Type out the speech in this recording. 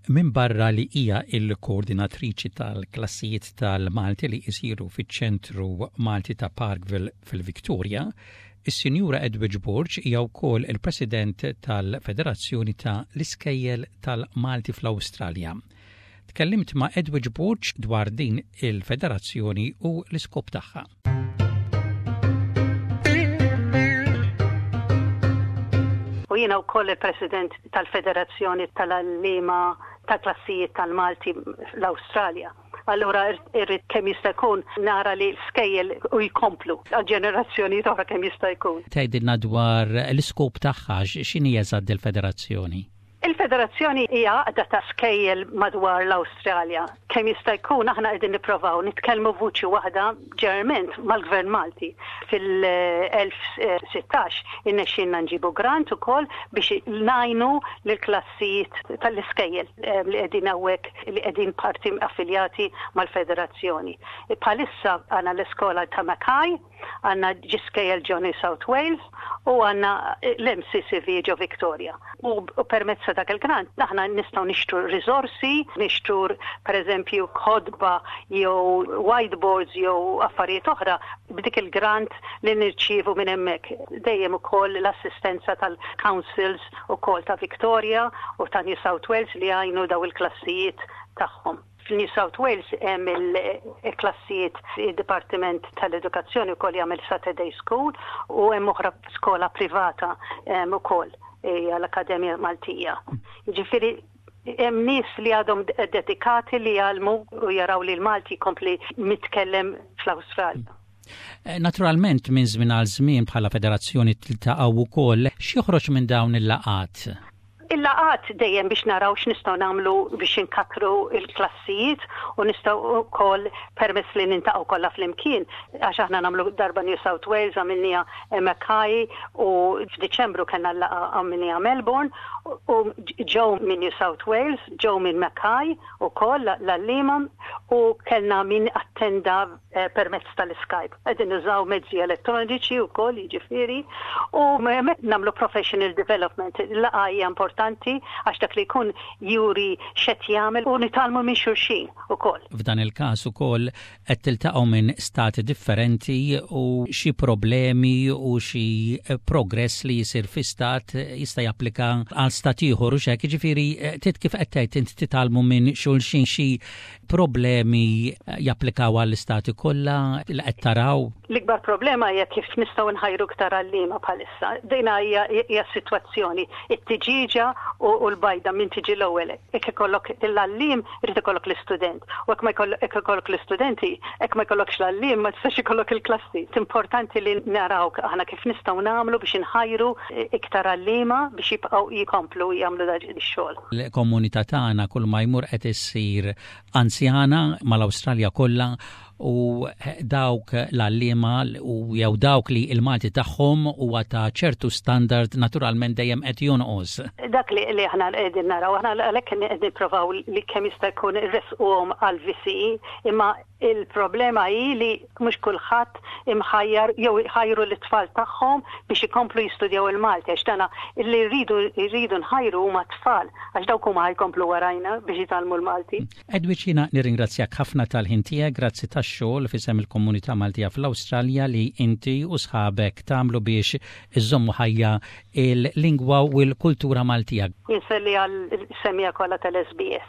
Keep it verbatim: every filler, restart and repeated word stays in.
Min barra li hija il-koordinatriċi tal-klassijiet tal-Malti li jisiru fiċ-ċentru Malti ta' Parkville fil-Victoria, is-Sinjura Edwidge Borg hija wkoll il-President tal-Federazzjoni ta' l-Iskejjel tal-Malti fl-Awstralja. Tkellimt ma' Edwidge Borg dwar din il-federazzjoni u l-iskop tagħha. U jiena wkoll il-President tal-Federazzjoni tal-Għalliema ta' Klassijiet tal-Malti l-Awstralja. Allura irrid kemm jista' jkun nara li l-skejjel u jkomplu għal ġenerazzjoni oħra kemm jista' jkun. Tgħidilna dwar l-iskop tagħha, x'inhi eżatt il-federazzjoni? Il-federazzjoni hija għaqda ta' skejjel madwar l-Awstralja. Kemm jista' jkun aħna qegħdin nipprovaw nitkellmu vuċi waħda ġeneralment mal-Gvern Malti. Fil-elf sittax innexxielna nġibu grant ukoll biex ngħinu lill-klassijiet tal-iskejjel li qegħdin hawnhekk li qegħdin parti affiljati mal-federazzjoni. Bħalissa għandna l-iskola ta' Mackay, għandna ġiskejjel ġo New South Wales u għandna l-M C C V ġo Victoria. U, u permezz ta' dak il-grant aħna nistgħu nixtru riżorsi, nixtru pereżempju kotba jew whiteboards jew affarijiet oħra b'dik il-grant li nirċievu minn hemmhekk. Dejjem ukoll l-assistenza tal-councils ukoll ta' Victoria u ta' New South Wales li jgħinu daw il-klassijiet tagħhom. Fil-New South Wales hemm il-klassijiet il-Dipartiment tal-Edukazzjoni wkoll jagħmel Saturday School u hemm oħra skola privata hemm ukoll hija l-Akkademja Maltija. Jiġifieri hemm nies li għadhom dedikati li jgħallmu u jaraw li l-Malti jkompli mitkellem fl-Awstralja. Eh, naturalment minn żmien għal żmien bħala federazzjoni tiltaqgħu wkoll, x'joħroġ minn dawn il-laqgħat? Il-laqgħat dejjem biex naraw x'nistgħu nagħmlu biex inkattru l-klassijiet u nistgħu wkoll permess li nintaqgħu kollha flimkien, għax aħna nagħmlu darba New South Wales, għamilniha Mackay u f'Diċembru kellna l-laqgħa għamilniha Melbourne u ġew minn New South Wales, ġew minn Mackay ukoll l-għalliema u kellna min attenda, eh, permezz tal-Skype. Qegħdin nużaw mezzi elettroniċi wkoll, jiġifieri, u hemmhekk nagħmlu professional development. Il-laqgħa hija importanti għax dak li jkun juri x'qed jagħmel u nitgħallmu minn xulxin ukoll. F'dan il-każ ukoll qed tiltaqgħu minn stati differenti u xi problemi u xi progress li jsir fi stat jista' japplika għal stat ieħor u x'hekk, jiġifieri tit kif qed tgħid int titgħallmu minn xulxin xi problemi japplikaw għall-istati kollha li qed taraw? L-ikbar problema hija kif nistgħu nħajru iktar għalliema bħalissa. Dejna hija, hija s-sitwazzjoni, it-tiġiġa u, u l-bajda min tiġi l-ewwel. Jekk ikollok l-għalliem, irid ikollok l-istudent. U jekk ma jkollok, jekk ikollok l-istudenti, jekk ma jkollokx l-għalliem, ma tistax ikollok il-klassi. Importanti li naraw aħna kif nistgħu nagħmlu biex inħajru iktar għalliema biex jibqgħu jkomplu jagħmlu dan ix-xogħol. Il-komunità tagħna kull ma jmur qed issir anzjana mal-Awstralja kollha u dawk l-għalliema u jew dawk li l-Malti tagħhom huwa ta' ċertu standard naturalment dejjem qed jonqos. Dak li, li aħna qegħdin naraw, aħna għalhekk qegħdin nipprovaw li kemm jista' jkun irresquhom għal V C E, imma il-problema hi li mhux kulħadd imħajjar jew ħajru l-tfal tagħhom biex ikomplu jistudjaw il-Malti, għax dana li rridu, rridu nħajru huma tfal, għax dawk huma ħajkomplu warajna biex jitgħallmu l-Malti. Edwidge, jiena nirringrazzjak ħafna tal-ħin tiegħek, grazzi tax-xogħol f'isem il-komunità Maltija fl-Awstralja li inti u sħabek tagħmlu biex iżommu ħajja il-lingwa u l-kultura Maltija. Inselli għal semija kollha tal-S B S.